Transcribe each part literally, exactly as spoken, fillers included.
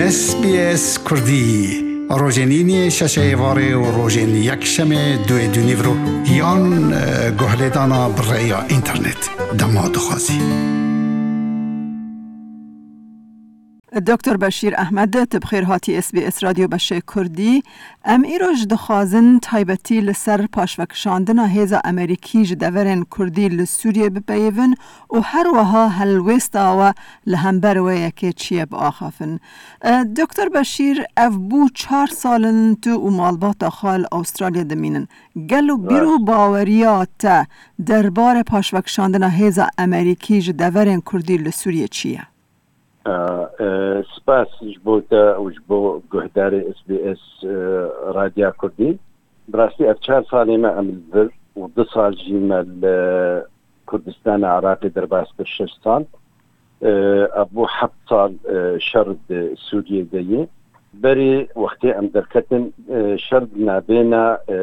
S B S Kurdî, rojên îniyê şeşê êvarê û rojên yekşemê duê dûnîvro yan, e, guhlêdana bi rêya înternet. Dema dixwazî. Doktor Beşîr Ehmed, tu bi xêr hatî S B S Radyo Beşê Kurdî. Em îroj dixwazin taybetî li ser paşvekişandina hêza Amerîkî ji deverên Kurdî li Sûriyê bipeyivin û her wiha helwêsta we li hember wê yekê çi ye biaxafin. E, Doktor Beşîr, ev bû çar sal in tu û malbata xwe li Awistralya dimînin. Gelo bîr û baweriya te derbarê paşvekişandina hêza Amerîkî ji deverên Kurdî li Sûriyê çi ye? A, e, spas ji bo te û ji bo guhdarê S B S, e, Radya Kurdî. Bi rastî ev çar salê me em li vir û du sal jî me li Kurdistana Iraqê derbas kir, şeş sal. E, ev bû heft sal, e, şer di Sûriyê de ye. Berê wextê em derketin, e, şer di navêna, e,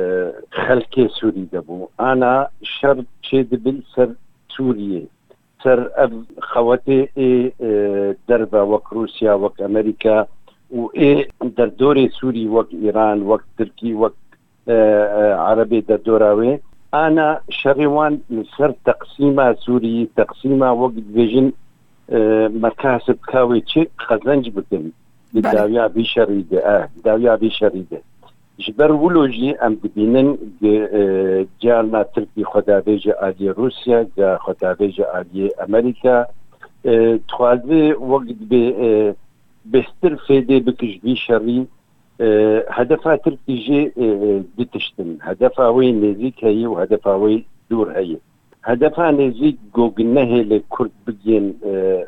xelkê Sûrî de bû. Ana şer çêdibe li ser Sûriyê. Ser ev xewetê ê, e, derve wek Rûsya, wek Amerîka û ê derdorê Sûrî wek Îran, wek Tirkî, wek, e, e, Erebê derdora wê. Ana şerê wan li ser teqsîma Sûrî, teqsîma wek dibêjin, e, mekasib ka wê çi qezenc bikin. Di Belê. dawiya vî şerî de, e, dawiya vî şerî de. Ji ber wilo jî em dibînin gi, e, carna Tirkî xwe davêje aliyê Rûsya, ga xwe davêje aliyê Amerîka. E, dixwaze wek dibê, e, bêhtir fêdê bike ji vî şerî. E, hedefa Tirkî jî, e, e, du tişt in. Hedefa wê nêzîk heye û hedefa wê dûr heye. Hedefa nêzîk go gi nehêle Kurd bigên, e,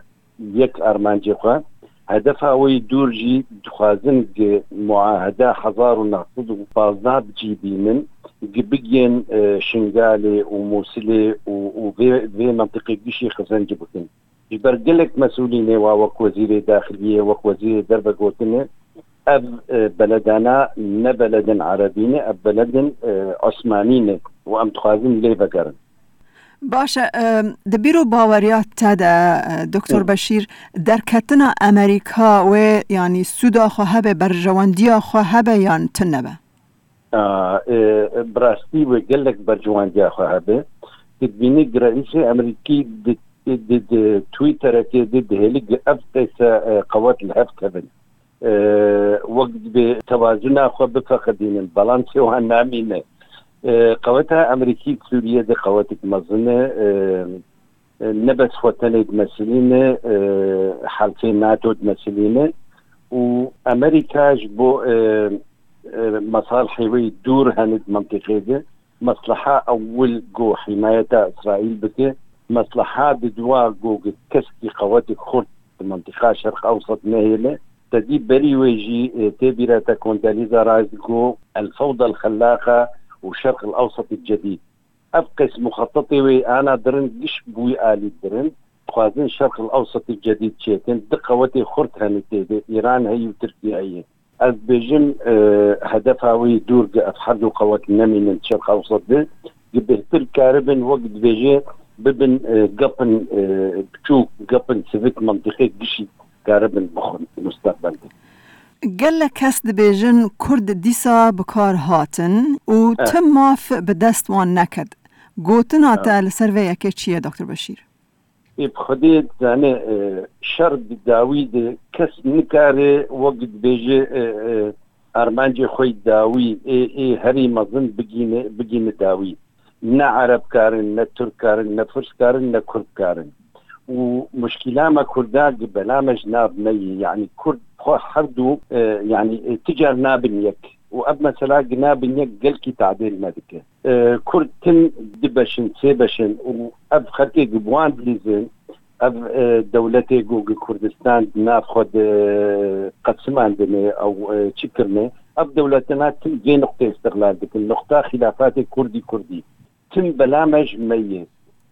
yek armancê xwe. Hedefa wê dûr jî dixwazin gi muaheda hezar û neh sed û pazdeh bi cî bînin, gi bigên, e, Şingalê û Mûsilê û, û vê, vê mentiqê gişî xizenc bikin. Ji ber gelek mesûlînê wa wek wezîrê daxiliyê, wek wezîrê derve gotine, ev, e, beledana ne beledin erebî ne, ev beledin, e, osmanî ne û em dixwazin lê vegerin. Baş e, em, di bîr û baweriya te de, e, Doktor Hı. Beşîr, derketina Amerîka wê, yanî sûda xwe hebe, berjewendiya xwe hebe yan tune be? A, e, bi rastî wê gelek berjewendiya xwe hebe. Tu dibînî reîsê Amerîkî di, di, di, di Twitterekê de dihêli gi ev qeyse, e, qewet li hev kevin. E, wek dibê tewazuna xwe bifeqidînin, balansê wan namîne. E, qeweta Amerîkî Sûriye de qewetek mezin e, e, e, ne bes xwe tenê dimesilîne, e, helfê nato dimesilîne û Amerîka ji bo, e, e, mesalihê wê dûr hene di mentiqê de, mesleha ewil ku hîmayeta Îsraîl bike, mesleha didiwa ku keskî qewetê xurt di mentiqa Şerq Ewsat nehêle. Te dî berî wê jî, e, tê bîra te Condoleezza Rice ku el fewda el xellaqa û Şerq el Ewsat el cedîd. Ev qeys muxetetê wê ana dirin giş bûyî alî dirin. Dixwazin Şerq el Ewsat el cedîd çêkin. Du qewetê xurt hene tê de. Îran heye û Tirkiye heye. Ez dibêjim, e, hedefa wî dûr di ev her du qewet nemînin Şerq Ewsat de. Di bêhtir karibin wek dibêje bibin, e, gapin, e, biçûk, gapin sivik mentiqê gişî karibin bixwin mustaqbel de. Gelek kes dibêjin Kurd dîsa bi kar hatin û Eh. ti maf bi dest wan neket. Gotina Eh. te li ser vê yekê çi ye, Doktor Beşîr? Ê bi Xwedê dizane, e, şer di dawî de kes nikare wek dibêje, e, e, armancê xwe yî dawî, ê, ê herî mezin bigîne, bigîne dawî. Ne Ereb karin, ne Tirk karin, ne Firs karin, ne Kurd karin. Û muşkîla me Kurda gi bela me ji nav me yî. Yanî Kurd xwe her du, e, yanî, e, ti car nabin yek. Û ev mesela gi nabin yek gelkî tadêl me dike. E, Kurd tim du beş in, sê beş in û ev xelkê gi bi wan dilîzin, ev, e, dewletê ku gi Kurdistan di nav xwe de qesimandine ew, e, çi kirine, ev dewletena tim vê nuqtê îstiqlal dikin. Nuqta xîlafatê Kurdî Kurdî. Tim bela me ji me yê.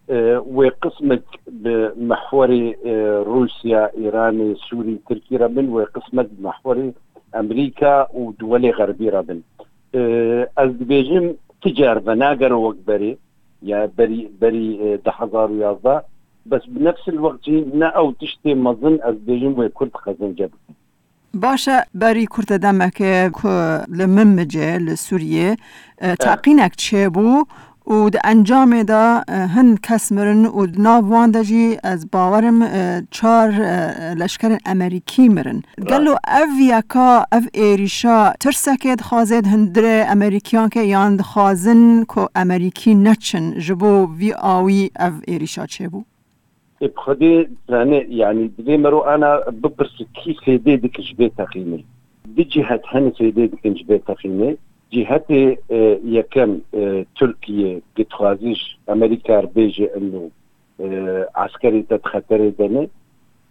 E, wê qismek bi mehwerê, e, Rûsya, Îranê, Sûrî, Tirkî re bin, wê qismek bi mehwerê Amerîka û duwelê xerbî re bin. E, ez dibêjim, ti car venagere wek berê, ya berî, berî, e, du hezar û yazdeh, bes bi nefsil wext jî ne ew tiştê mezin ez dibêjim wê Kurd qezenc bikin. Baş e, berî kurte demeke ku li Minbicê, li Sûriyê, e, teqînek çêbû û di encamê de, e, hin kes mirin û di nav wan de jî ez bawerim, e, çar, e, leşkerên Amerîkî mirin. Gelo ev yeka, ev êrîşa tirsekê dixwaze di hundirê Amerîkiyan ke yan dixwazin ku Amerîkî neçin ji bo vî awî ev êrîşa çêbû? Ê, bi Xwedê dizane, yanî divê mero ana bipirse kî fêdê dike ji vê teqînê. Du cihet hene fêdê dikin ji vê teqînê. Cihetê, e, yekem, e, Tirkiye, ku dixwaze ji Amerîka re bêje ino, e, eskerê te di xeterê de ne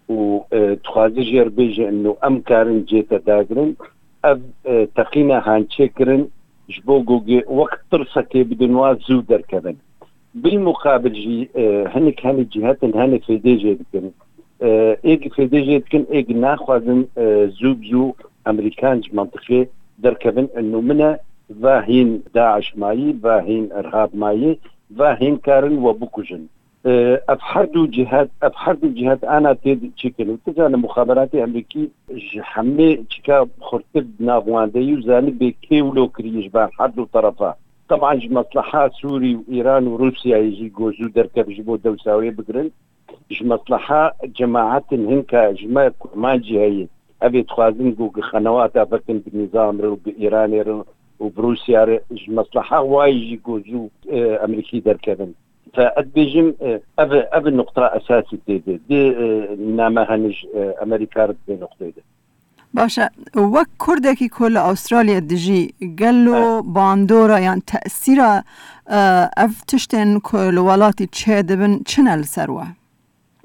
û, e, dixwaze jê re bêje ino em karin cê te dagirin. Ev, e, teqîna hançê kirin ji bo ku wek tirsekê bidin wa zû derkevin. Bilmuqabil jî, e, hinek hene cihetin hene fêdê jê dikin. E, êk fêdê jê dikin, êk naxwazin, e, zû bi zû Amerîkan ji mentiqê derkevin. Ino min e, va hîn DAIŞ mayî, va hîn irhab mayî, va hîn karin we bikujin. E, ev her du cihet, ev her du cihet ana tê çêkin. Û tu zane muxaberatê Amerîkî ji hemê çika xurtir di nav wan de yî û zanibê kê wilo kiriye ji ber her du terefa. Teban ji mesleha Sûrî û Îran û Rûsyayê jî ku zû derkeve ji bo dewsa wê bigirin. Ji mesleha cemaetin hinka ji me kurmancî heye. Ev ê dixwazin ku gi xenewata vekin bi nîzam re û bi Îranê re û bi Rûsya re. Ji mesleha wayî jî ku zû, e, Amerîkî derkevin. Fe ez bêjim, e, ev, ev nuqta esasî tê de. Di, e, name hene ji, e, Amerîka re di vê nuqteyê de. Baş e, wek Kurdekî ku li Astralya dijî, gelo bandora yan tesîra, e, ev tiştên ku li welatî çêdibin çi ne li ser we?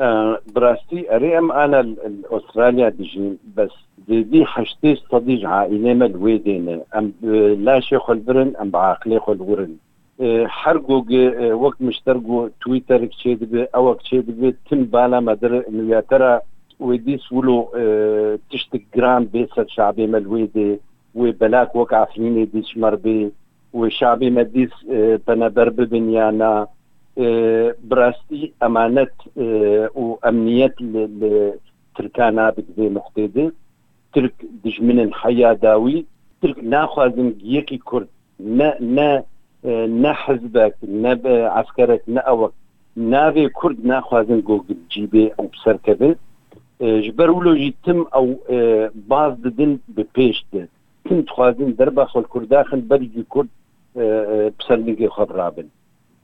E, bi rastî, erê em ana li, li Astralya dijîn, bes zêdî heştê sedî ji aîlê me li wê dê ne. Em bi laşê xwe li vir in, em bi aqilê xwe li wir in. E, her ku gi, e, wek min ji te re got, Twitterek çêdibe, ewek çêdibe, tim bala me dir, nûyetera wê dîs wilo, e, tiştek giran bê ser şabê me li wê dê, wê belak wek Efrînê dîs ji me re bê, wê şabê me dîs, e, peneber bibin ya na. E, bi rastî emanet, e, û emniyet li, li Tirkan nabe di vê nuqtê de. Tirk dijmin in heya dawî. Tirk naxwazin yekî Kurd, ne, ne, e, ne hizbek, ne bi eskerek, ne ewek. Navê Kurd naxwazin ku cî bê û bi ser keve. E, ji ber wilo jî tim ew, e, baz didin bi pêş de. Tim dixwazin derba xwe li Kurda xin, berî jî Kurd, e, e, bi ser lingê xwe birabin.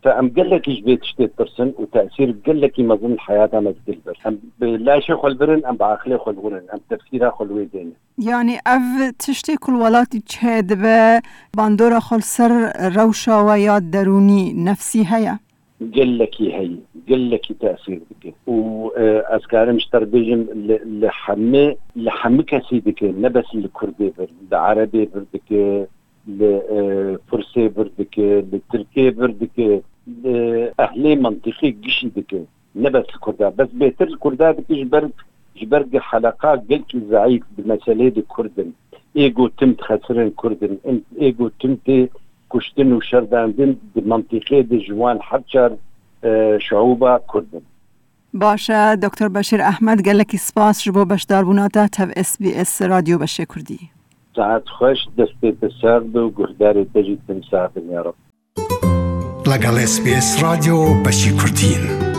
Fe em gelekî ji vê tiştê ditirsin û tesîr gelekî mezin li heyata me dike li vir. Em bi laşê xwe li vir in, em bi aqilê xwe li wir in, em tefsîra xwe li wê dêne. Yanî ev tiştê ku li welatî çêdibe, bandora xwe li ser rewşa we ya derûnî, nefsî heye? Gelekî heye, gelekî tesîr dike. Û, e, ez karim ji te re bêjim, li, li hemî, li hemî kesî dike, ne bes li Kurdê vir, li Erebê vir dike, li, e, Firsê vir dike, li Tirkê vir dike, li ehlê mentiqê gişî dike. Ne bes li Kurda. Bes bêtir li Kurda dike ji ber, ji ber gi heleqa gelkî zeîf bi meselê di Kurd in. Ê ku tim dixesirin Kurd in. Ê ku tim tê kuştin û şerdandin di mentiqê de ji wan her çar, e, şeûba Kurd in. Baş e, Doktor Beşîr Ehmed, gelekî spas ji bo beşdarbûna te tev S B S Radyo Beşê Kurdî. Saet xweş, destê te sax be û guhdarê te jî tim sax bin ya Reb. لەگەڵ S B S رادیۆ بەشی کوردین.